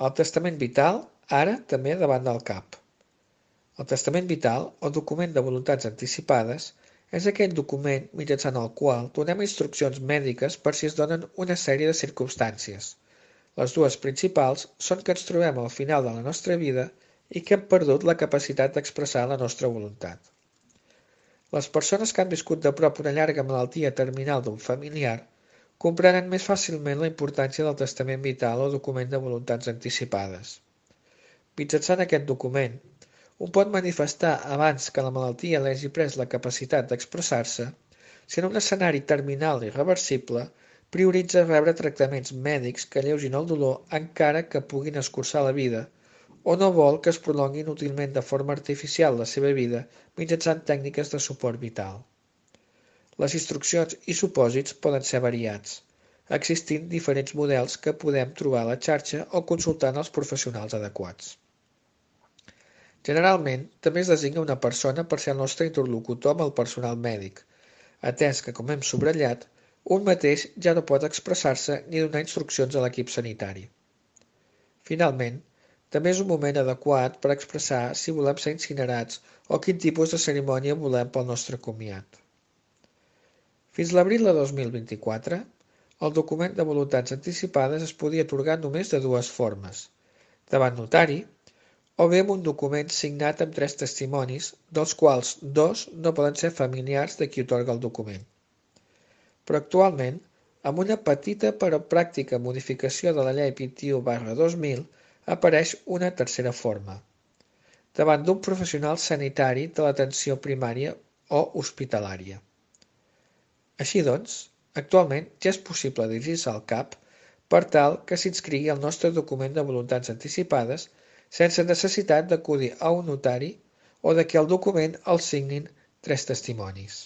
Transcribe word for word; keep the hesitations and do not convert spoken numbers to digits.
El testament vital, ara també davant del cap. El testament vital, o document de voluntats anticipades, és aquell document mitjançant el qual donem instruccions mèdiques per si es donen una sèrie de circumstàncies. Les dues principals són que ens trobem al final de la nostra vida i que hem perdut la capacitat d'expressar la nostra voluntat. Les persones que han viscut de prop una llarga malaltia terminal d'un familiar comprenen més fàcilment la importància del testament vital o document de voluntats anticipades. Mitjançant aquest document, un pot manifestar abans que la malaltia li hagi pres la capacitat d'expressar-se si en un escenari terminal irreversible prioritza rebre tractaments mèdics que alleugin el dolor encara que puguin escurçar la vida o no vol que es prolongui inútilment de forma artificial la seva vida mitjançant tècniques de suport vital. Les instruccions i supòsits poden ser variats, existint diferents models que podem trobar a la xarxa o consultant els professionals adequats. Generalment, també es designa una persona per ser el nostre interlocutor amb el personal mèdic, atès que, com hem subratllat, un mateix ja no pot expressar-se ni donar instruccions a l'equip sanitari. Finalment, també és un moment adequat per expressar si volem ser incinerats o quin tipus de cerimònia volem pel nostre comiat. Fins l'abril de dos mil vint-i-quatre, el document de voluntats anticipades es podia atorgar només de dues formes, davant notari o bé amb un document signat amb tres testimonis, dels quals dos no poden ser familiars de qui atorga el document. Però actualment, amb una petita però pràctica modificació de la llei vint-i-u barra dos mil, apareix una tercera forma, davant d'un professional sanitari de l'atenció primària o hospitalària. Així doncs, actualment ja és possible dirigir-se al CAP per tal que s'inscrigui el nostre document de voluntats anticipades sense necessitat d'acudir a un notari o de que el document el signin tres testimonis.